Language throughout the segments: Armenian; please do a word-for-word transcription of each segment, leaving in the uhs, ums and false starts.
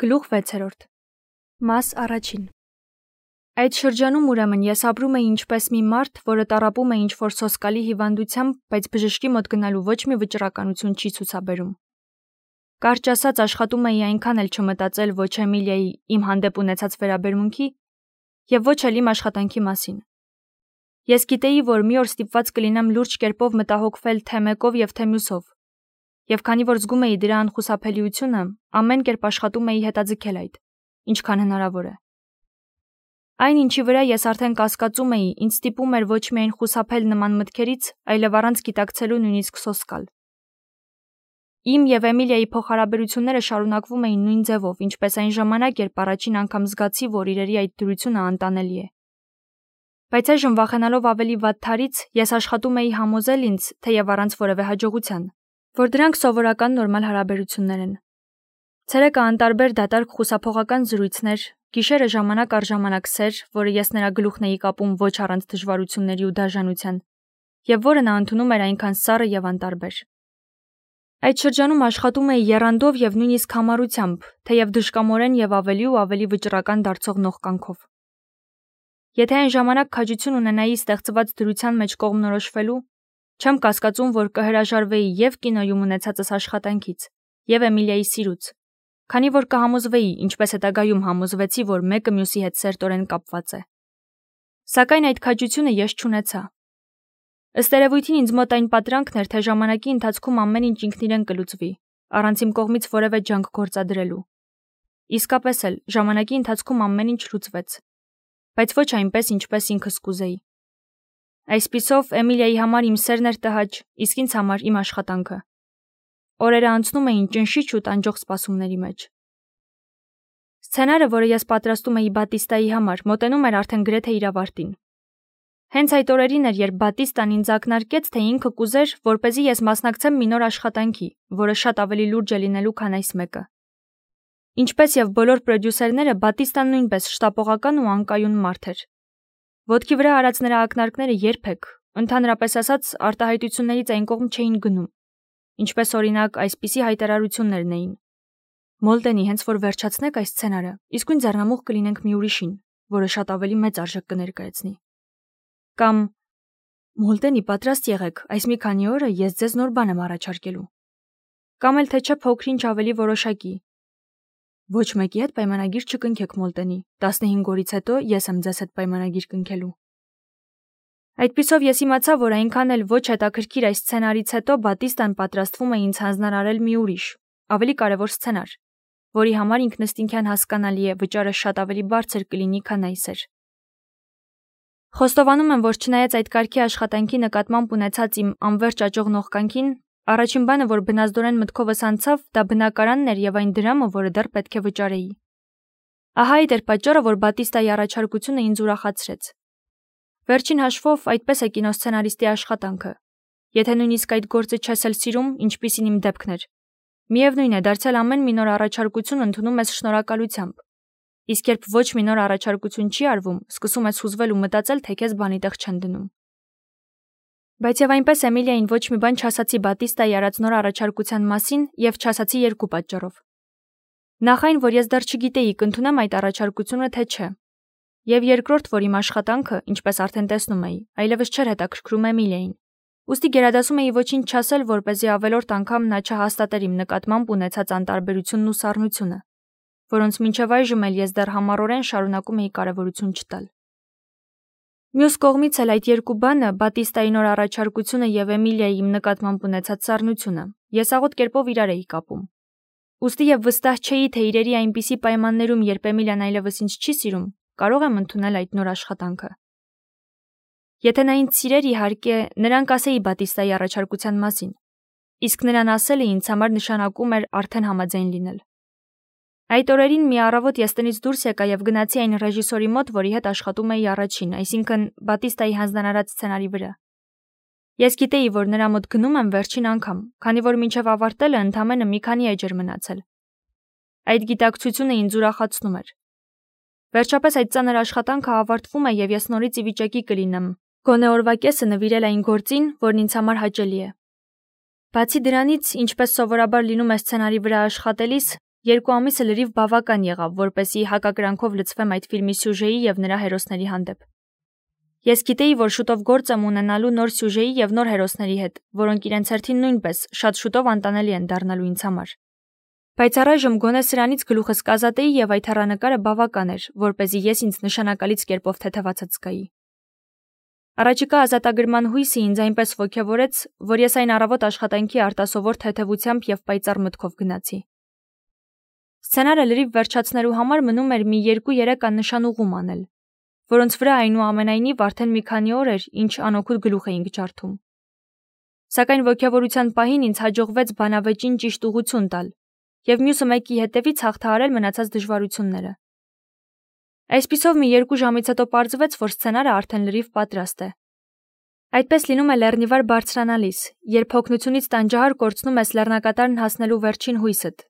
Գլուխ վեցերորդ Մաս առաջին Այդ շրջանում ուրեմն ես ապրում էի ինչպես մի մարդ, որը տառապում է ինչ-որ սոսկալի հիվանդությամբ, բայց բժշկի մոտ գնալու ոչ մի վճռականություն չի ցուցաբերում։ Կարճ ասած, աշխատում էի այնքան էլ չմտածել ոչ Էմիլիայի իմ հանդեպ ունեցած վերաբերմունքի և ոչ էլ իմ աշխատանքի մասին։ Ես գիտեի, որ մի օր ստիպված կլինեմ լուրջ կերպով մտահոգվել թե մեկով և թե մյուսով, և քանի որ զգում էի դրա անխուսափելիությունը, ամեն կերպ աշխատում էի հետաձգել այդ, ինչքան հնարավոր է։ Այն, ինչի վրա ես արդեն կասկածում էի, ինձ ստիպում էր ոչ միայն խուսափել նման մտքերից, այլև առանց գիտակցելու նույնիսկ սոսկալ։ Իմ և Էմիլիայի փոխհարաբերությունները շարունակվում էին նույն ձևով, ինչպես այն ժամանակ, երբ առաջին անգամ զգացի, որ իրերի այդ դրությունը անտանելի է։ Բայց այժմ վախենալով ավելի վատ թարից, ես աշխատում էի համոզել ինձ, թեև առանց որևէ հաջողության, որ դրանք սովորական նորմալ հարաբերություններ են։ Ցերեկը անտարբեր դատարկ խուսափողական զրույցներ, գիշերը ժամանակ առ ժամանակ սեր, որը ես նրա գլուխն էի կապում ոչ առանց դժվարությունների ու դաժանության, և որը նա ընդունում էր այնքան սառը և անտարբեր։ Այդ շրջանում աշխատում էի եռանդով և նույնիսկ համառությամբ, թեև դժկամորեն և ավելի ու ավելի վճռական դարձող նողկանքով։ Եթե այն ժամանակ քաջություն ունենայի ստեղծված դրության մեջ կողմնորոշվելու, չեմ կասկածում, որ կհրաժարվեի և կինոյում ունեցածս աշխատանքից, և Էմիլիայի սիրուց, քանի որ կհամոզվեի, ինչպես հետագայում համոզվեցի, որ մեկը մյուսի հետ սերտորեն կապված է։ Սակայն այդ քաջությունը ես չունեցա։ Ըստ երևույթին ինձ մոտ այն պատրանքն էր, թե ժամանակի ընթացքում ամեն ինչ ինքն իրեն կլուծվի, առանց իմ կողմից որևէ ջանք գործադրելու։ Իսկապես էլ, ժամանակի ընթացքում ամեն ինչ լուծվեց, բայց ոչ այնպես, ինչպես ինքս կուզեի։ Այսպիսով, Էմիլիայի համար իմ սերն էր տհաճ, իսկ ինձ համար իմ աշխատանքը։ Օրերը անցնում էին ճնշիչ ու տանջող սպասումների մեջ։ Սցենարը, որը ես պատրաստում էի Բատիստայի համար, մոտենում էր արդեն գրեթե իր ավարտին։ Հենց այդ օրերին էր, երբ Բատիստան ինձ ակնարկեց, թե ինքը կուզեր, որպեսզի ես մասնակցեմ մի նոր աշխատանքի, որը շատ ավելի լուրջ է լինելու, քան այս մեկը։ Ինչպես և բոլոր պրոդյուսերները, Բատիստան նույնպես շտապողական ու անկայուն մարդ էր։ Ոտքի վրա արած նրա ակնարկները երբեք, ընդհանրապես ասած, արտահայտություններից այն կողմ չէին գնում, ինչպես օրինակ այսպիսի հայտարարություններն էին. Մոլտենի, հենց որ վերջացնեք այս սցենարը, իսկույն ձեռնամուխ կլինենք մի ուրիշին, որը շատ ավելի մեծ արժեք կներկայացնի։ Կամ Մոլտենի, պատրաստ եղեք, այս մի քանի օրը ես ձեզ նոր բան եմ առաջարկելու։ Կամ էլ թե չէ փոքր-ինչ ավելի որոշակի. Ոչ մեկի հետ պայմանագիր չկնքեք, Մոլտենի, տասնհինգ օրից հետո ես եմ ձեզ հետ պայմանագիր կնքելու։ Այդպիսով ես իմացա, որ այնքան էլ ոչ հետաքրքիր այս սցենարից հետո Բատիստան պատրաստվում է ինձ հանձնարարել մի ուրիշ, ավելի կարևոր սցենար, որի համար ինքնըստինքյան հասկանալի է, վճարը շատ ավելի բարձր կլինի, քան այս էր։ Խոստովանում եմ, որ չնայած այդ կարգի աշխատանքի նկատմամբ ունեցած իմ անվերջ աճող նողկանքին, առաջին բանը, որ բնազդորեն մտքովս անցավ, դա բնակարանն էր և այն դրամը, որը դեռ պետք է վճարեի։ Ահա այդ էր պատճառը, որ Բատիստայի առաջարկությունը ինձ ուրախացրեց։ Վերջին հաշվով, այդպես է կինոսցենարիստի աշխատանքը։ Եթե նույնիսկ այդ գործը չես էլ սիրում, ինչպիսին իմ դեպքն էր, միևնույն է, դարձյալ ամեն մի նոր առաջարկություն ընդունում ես շնորհակալությամբ, իսկ երբ ոչ մի նոր առաջարկություն չի արվում, սկսում ես հուզվել ու մտածել, թե քեզ բանի տեղ չեն դնում։ Բայց եւ այնպես Էմիլիային ոչ մի բան չասացի Բատիստայի արած նոր առաջարկության մասին եւ չասացի երկու պատճառով։ Նախ այն, որ ես դեռ չգիտեի կընդունեմ այդ առաջարկությունը, թե չէ։ Եվ երկրորդ, որ իմ աշխատանքը, ինչպես արդեն տեսնում էի, այլևս չէր հետաքրքրում Էմիլիային։ Ուստի գերադասում էի ոչինչ չասել, որպեսզի ավելորդ անգամ նա չհաստատեր իմ նկատմամբ ունեցած անտարբերությունն ու սառնությունը, որոնց մինչև այժմ էլ ես դեռ համառորեն շարունակում էի կարևորություն չտալ։ Մյուս կողմից էլ այդ երկու բանը, Բատիստայի նոր առաջարկությունը եւ Էմիլիայի իմ նկատմամբ ունեցած սառնությունը, եսաղոտ կերպով իրար էի կապում։ Ուստի եւ վստահ չէի, թե իրերի այնպիսի պայմաններում, երբ Էմիլիան այլևս ինձ չի սիրում, կարող եմ ընդունել այդ նոր աշխատանքը։ Եթե նա ինձ սիրեր, իհարկե, նրան կասեի Բատիստայի առաջարկության մասին, իսկ նրան ասելը ինձ համար նշանակում էր արդեն համաձայն լինել։ Այդ օրերին մի առավոտ ես տնից դուրս եկա եւ գնացի այն ռեժիսորի մոտ, որի հետ աշխատում էի առաջին, այսինքն Բատիստայի հանձնարարած սցենարի վրա։ Ես գիտեի, որ նրա մոտ գնում եմ վերջին անգամ, քանի որ մինչև ավարտելը ընդամենը մի քանի էջ էր մնացել։ Այդ գիտակցությունը ինձ ուրախացնում էր։ Վերջապես այդ ծանր աշխատանքը ավարտվում է եւ ես նորից ի վիճակի կլինեմ գոնե օրվա կեսը նվիրել այն գործին, որն ինձ համար հաճելի է։ Բացի դրանից, ինչպես սովորաբար լինում է սցենարի վրա աշխատելիս, Երկու ամիսը լրիվ բավական եղավ, որպեսզի հակակրանքով լցվեմ այդ ֆիլմի սյուժեի եւ նրա հերոսների հանդեպ։ Ես գիտեի, որ շուտով գործ եմ ունենալու նոր սյուժեի եւ նոր հերոսների հետ, որոնք իրենց հերթին նույնպես շատ շուտով անտանելի են դառնալու ինձ համար։ Բայց առայժմ գոնե սրանից գլուխս կազատեի եւ այդ հեռանկարը բավական էր, որպեսզի ես ինձ նշանակալից կերպով թեթևացած զգայի։ Առաջիկա ազատագրման հույսը ինձ այնպես ոգևորեց, որ ես այն առավոտ աշխատանքի արտասովոր թեթևությամբ եւ պայծառ մտքով գնացի։ Սցենարը լրիվ վերջացնելու համար մնում էր մի երկու-երեք աննշան ուղում անել, որոնց վրա այնուամենայնիվ արդեն մի քանի օր էր, ինչ անօգուտ գլուխ էինք ջարդում։ Սակայն ոգևորության պահին ինձ հաջողվեց բանավեճին ճիշտ ուղղություն տալ եւ մյուսը մեկի հետևից հաղթահարել մնացած դժվարությունները։ Այսպիսով մի երկու ժամից հետո պարզվեց, որ սցենարը արդեն լրիվ պատրաստ է։ Այդպես լինում է լեռնիվար բարձրանալիս, երբ հոգնությունից տանջահար կորցնում ես լեռնակատարն հասնելու վերջին հույսդ,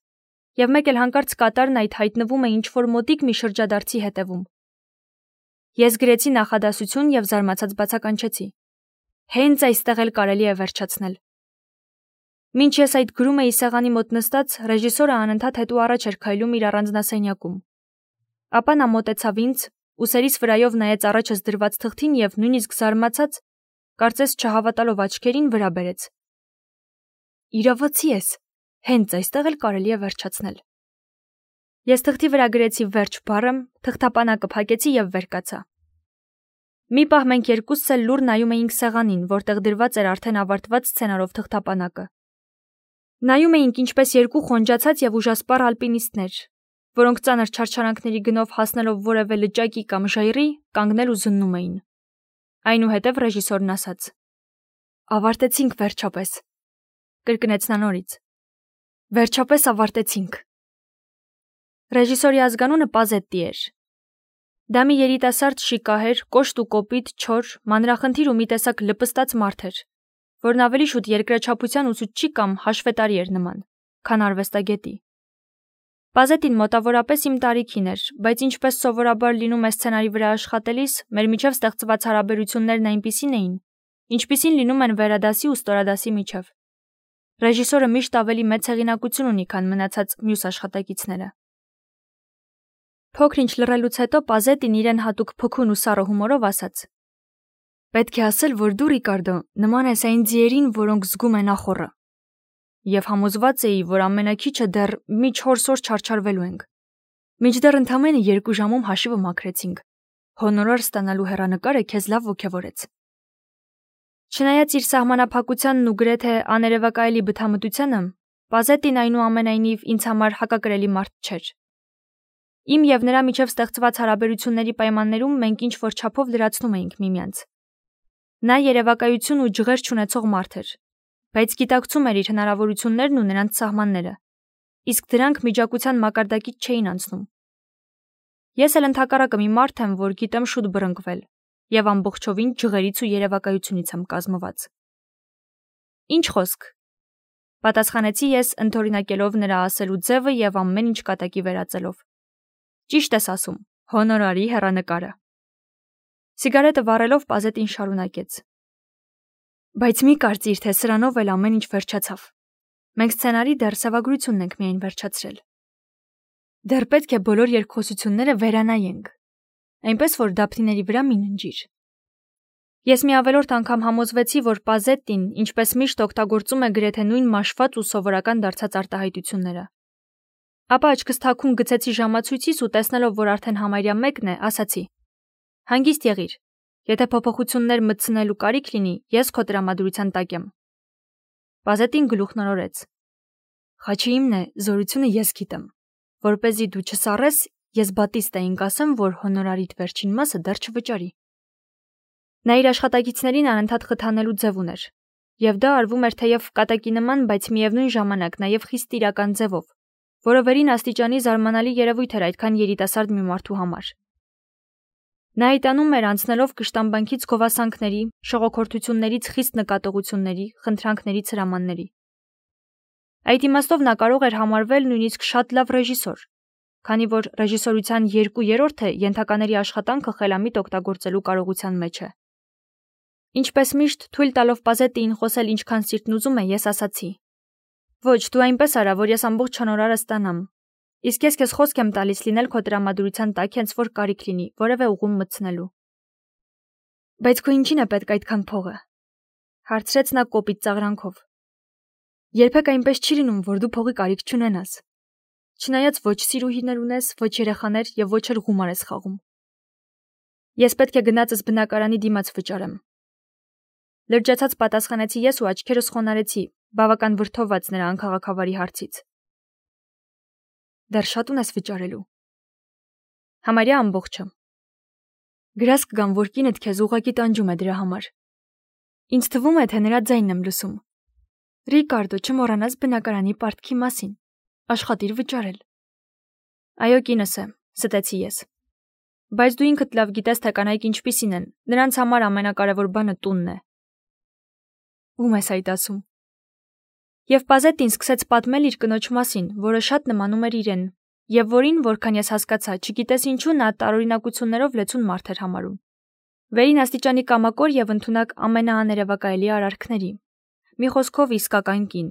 եւ մեկ էլ հանկարծ կատարն այդ հայտնվում է ինչ-որ մոտիկ մի շրջադարձի հետևում։ Ես գրեցի նախադասություն եւ զարմացած բացականչեցի. հենց այստեղ էլ կարելի է վերջացնել։ Մինչ ես այդ գրում էի սեղանի մոտ նստած, ռեժիսորը անընդհատ հետո առաջ էր քայլում իր առանձնասենյակում։ Ապա նա մոտեցավ ինձ, ուսերիս վրայով նայեց առաջս դրված թղթին եւ նույնիսկ զարմացած, կարծես չհավատալով աչքերին վրա բերեց. Իրավացի ես, հենց այստեղ էլ կարելի է վերջացնել։ Ես թղթի վրա գրեցի վերջ բառը, թղթապանակը փակեցի եւ վեր կացա։ Մի պահ մենք երկուսս էլ լուռ նայում էինք սեղանին, որտեղ դրված էր արդեն ավարտված սցենարով թղթապանակը։ Նայում էինք ինչպես երկու խոնջացած եւ ուժասպառ ալպինիստներ, որոնք ծանր չարչարանքների գնով հասնելով որևէ լճակի կամ ժայռի, կանգնել ու զննում էին։ Այնուհետև ռեժիսորն ասաց. Ավարտեցինք վերջապես, կրկնեց նա նորից։ Վերջապես ավարտեցինք։ Ռեժիսորի ազգանունը Պազետտի էր։ Դա մի երիտասարդ շիկահեր, կոշտ ու կոպիտ, չոր, մանրախնդիր ու մի տեսակ լպստած մարդ էր, որն ավելի շուտ երկրաչափության ուսուցչի կամ հաշվետարի էր նման, քան արվեստագետի։ Պազետին մոտավորապես իմ տարիքին էր, բայց ինչպես սովորաբար լինում է սցենարի վրա աշխատելիս, մեր միջև ստեղծված հարաբերություններն այնպիսին էին, ինչպիսին լինում են վերադասի ու ստորադասի միջև։ Ռեժիսորը միշտ ավելի մեծ հեղինակություն ունի, քան մնացած մյուս աշխատակիցները։ Փոքր-ինչ լռելուց հետո Պազետին իրեն հատուկ փքուն ու սառը հումորով ասաց. Պետք է ասել, որ դու, Ռիկարդո, նման ես այն ձիերին, որոնք զգում են ախոռը։ Եվ համոզված էի, որ ամենաքիչը դեռ մի չորս օր չարչարվելու ենք։ Մինչդեռ ընդամենը երկու ժամում հաշիվը մաքրեցինք։ Հոնորար ստանալու հեռանկարը քեզ լավ ոգևորեց։ Չնայած իր սահմանափակությանն ու գրեթե աներևակայելի բթամտությանը, Պազետին այնուամենայնիվ ինձ համար հակակրելի մարդ չէր։ Իմ եւ նրա միջև ստեղծված հարաբերությունների պայմաններում մենք ինչ-որ չափով լրացնում էինք միմյանց։ Նա երևակայություն ու ջղեր չունեցող մարդ էր, բայց գիտակցում էր իր հնարավորություններն ու նրանց սահմանները, իսկ դրանք միջակության մակարդակից չէին անցնում։ Ես էլ ընդհակառակը մի մարդ եմ, որ գիտեմ շուտ բռնկվել եւ ամբողջովին ջղերից ու երևակայությունից եմ կազմված։ Ինչ խոսք, պատասխանեցի ես, ընդօրինակելով նրա ասելու ձևը եւ ամեն ինչ կատակի վերածելով։ Ճիշտ ես ասում, հոնորարի հեռանկարը։ Սիգարետը վառելով Պազետին շարունակեց. Բայց մի կարծիր, թե սրանով էլ ամեն ինչ վերջացավ։ Մենք սցենարի դեռ սևագրությունն ենք միայն վերջացրել։ Դեռ պետք է բոլոր երկխոսությունները վերանայենք, այնպես որ դափնիների վրա մի ննջիր։ Ես մի ավելորդ անգամ համոզվեցի, որ Պազետին, ինչպես միշտ օգտագործում է գրեթե նույն մաշված ու սովորական դարձած արտահայտությունները։ Ապա աչքս թաքուն գցեցի ժամացույցից ու տեսնելով, որ արդեն համարյա մեկն է, ասացի. Հանգիստ եղիր, եթե փոփոխություններ մտցնելու կարիք լինի, ես քո տրամադրության տակ եմ։ Պազետին գլուխ նորորեց. Խաչի իմն է, զորությունը ես գիտեմ, որպեսզի դու չսառես, ես Բատիստային կասեմ, որ հոնորարիդ վերջին մասը դեռ չվճարի։ Նա իր աշխատակիցներին անընդհատ խթանելու ձև ուներ, եւ դա արվում էր թեև կատակի նման, բայց միևնույն ժամանակ նաեւ խիստ իրական ձևով, որը վերին աստիճանի զարմանալի երևույթ էր այդքան երիտասարդ մի մարդու համար։ Նա այտանում էր անցնելով կշտամբանքից գովասանքների, շողոքորթություններից խիստ նկատողությունների, խնդրանքներից հրամանների։ Այդ իմաստով նա կարող էր համարվել նույնիսկ շատ լավ ռեժիսոր, քանի որ ռեժիսորության երկու երրորդը ենթակաների աշխատանքը խելամիտ օգտագործելու կարողության մեջ է։ Ինչպես միշտ թույլ տալով Պազետին խոսել ինչքան սիրտն ուզում է, ես ասացի. Ոչ, դու այնպես արա, որ ես ամբողջ հոնորարը ստանամ, Իսկ ես քեզ խոսք եմ տալիս լինել քո տրամադրության տակ հենց որ կարիք լինի, որևէ ուղում մտցնելու։ Բայց քո ինչին է պետք այդքան փողը։ Հարցրեց նա կոպիտ ծաղրանքով։ Երբեք այնպես չի լինում, որ դու փողի կարիք չունենաս։ Չնայած ոչ սիրուհիներ ունես, ոչ երեխաներ եւ ոչ էլ գումար ես խաղում։ Ես պետք է գնացս բնակարանի դիմաց վճարեմ։ Լրջացած պատասխանեցի ես ու աչքերս խոնարեցի, բավական վրդովված նրա անքաղաքավարի հարցից։ Դեռ շատ ունես վճարելու։ Համարյա ամբողջը։ Գրաս կգամ, որ կինդ քեզ ուղղակի տանջում է դրա համար։ Ինձ թվում է, թե նրա ձայնն եմ լսում։ Ռիկարդո, չմոռանաս բնակարանի պարտքի մասին։ Աշխատիր վճարել։ Այո, կինս է, ստեցի ես։ Բայց դու ինքդ լավ գիտես, թե կանայք ինչպիսին են, նրանց համար ամենակարևոր բանը տունն է։ Ում ես այդ ասում։ Եվ Պազետին սկսեց պատմել իր կնոջ մասին, որը շատ նմանում էր իրեն, եւ որին, որքան ես հասկացա, չգիտես ինչու նա տարօրինակություններով լեցուն մարդ էր համարում։ Վերին աստիճանի կամակոր եւ ընդունակ ամենաաներևակայելի արարքների։ Մի խոսքով իսկական կին։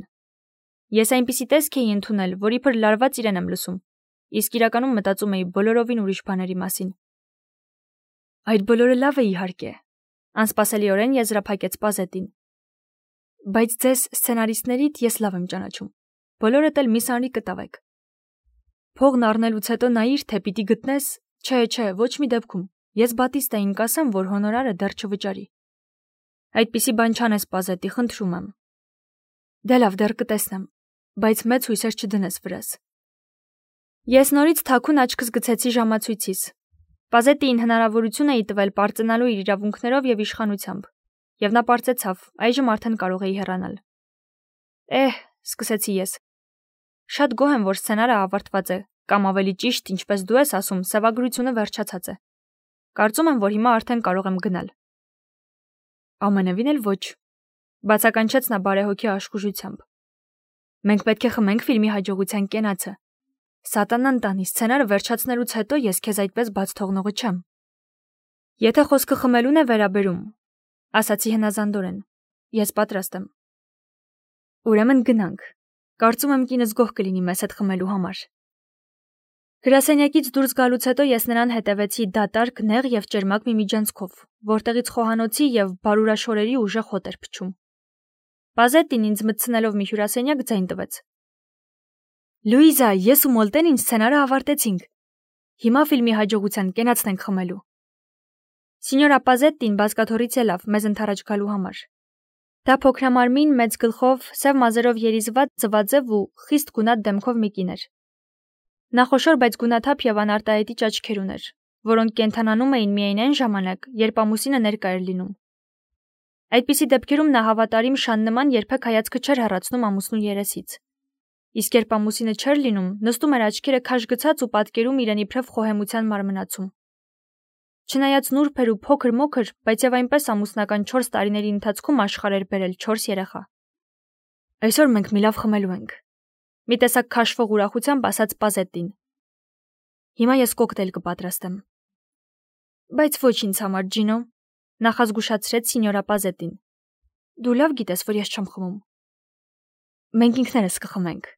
Ես այնպիսի տեսք էի ընդունել, որ իբր լարված իրեն եմ լսում, իսկ իրականում մտածում էի բոլորովին ուրիշ բաների մասին։ Այդ բոլորը լավ է իհարկե, անսպասելիորեն եզրափակեց Պազետին։ Բայց ձեզ սցենարիստներիդ ես լավ եմ ճանաչում։ Բոլորդ էլ մի սանրի կտավեք։ Փողն առնելուց հետո նայիր, թե պիտի գտնես, չէ, չէ, ոչ մի դեպքում։ Ես Բատիստային կասեմ, որ հոնորարը դեռ չվճարի։ Այդպիսի բան չանես, Պազետի, խնդրում եմ։ Դե լավ, դեռ կտեսնեմ, բայց մեծ հույսեր չդնես վրաս։ Ես նորից թաքուն աչքս գցեցի ժամացույցիս։ Պազետին հնարավորություն էի տվել պարծենալու իր իրավունքներով եւ իշխանությամբ, եւ նա պարծեցավ, այժմ արդեն կարող էի հեռանալ։ Էհ, սկսեցի ես։ Շատ գոհ եմ, որ սցենարը ավարտված է, կամ ավելի ճիշտ, ինչպես դու ես ասում, սևագրությունը վերջացած է։ Կարծում եմ, որ հիմա արդեն կարող եմ գնալ։ Ամենևին էլ ոչ, բացականչեց նա բարեհոգի աշխուժությամբ։ Մենք պետք է խմենք ֆիլմի հաջողության կենացը։ Սատանան տանի, սցենարը վերջացնելուց հետո ես քեզ այդպես բաց թողնողը չեմ։ Եթե խոսքը խմելուն է վերաբերում, ասացի հնազանդորեն, ես պատրաստ եմ։ Ուրեմն գնանք։ Կարծում եմ կինս գոհ կլինի մեզ հետ խմելու համար։ Գրասենյակից դուրս գալուց հետո ես նրան հետևեցի դատարկ, նեղ եւ ճերմակ մի միջանցքով, որտեղից խոհանոցի եւ բարուրաշորերի ուժեղ հոտ էր փչում։ Պազետին ինձ մտցնելով մի հյուրասենյակ ձայն տվեց։ Լուիզա, ես ու Մոլտեն ինչ սցենարը ավարտեցինք։ Հիմա ֆիլմի հաջողության կենացն ենք խմելու։ Սինյորա Պազետին բազկաթոռից ելավ մեզ ընթരാճ գալու համար։ Դա փոքրամարմին, մեծ գլխով, սև մազերով երիզված, ձվածև ու խիստ գունատ դեմքով մի կին էր։ Նա խոշոր, բայց գունաթափ եւ անարտահայտիչ աչքեր ուներ, որոնք կենթանանում էին միայն այն ժամանակ, երբ ամուսինը ներկա էր լինում։ Այդպիսի դեպքերում նա հավատարիմ շան նման երբեք հայացքը չէր հեռացնում ամուսնու երեսից։ Իսկ երբ ամուսինը չէր լինում, նստում էր աչքերը քաշ գցած ու պատկերում իրեն իբրև խոհեմության մարմնացում։ Չնայած նուրբ էր ու փոքր-մոքր, բայց եւ այնպես ամուսնական չորս տարիների ընթացքում աշխարհ էր բերել չորս երեխա։ Այսօր մենք մի լավ խմելու ենք։ Մի տեսակ քաշվող ուրախությամբ ասաց Պազետին։ Հիմա ես կոկտեյլ կպատրաստեմ։ Բայց ոչ ինձ համար, Ջինո, նախազգուշացրեց սինյորա Պազետին։ Դու լավ գիտես, որ ես չեմ խմում։ Մենք ինքներս կխմենք։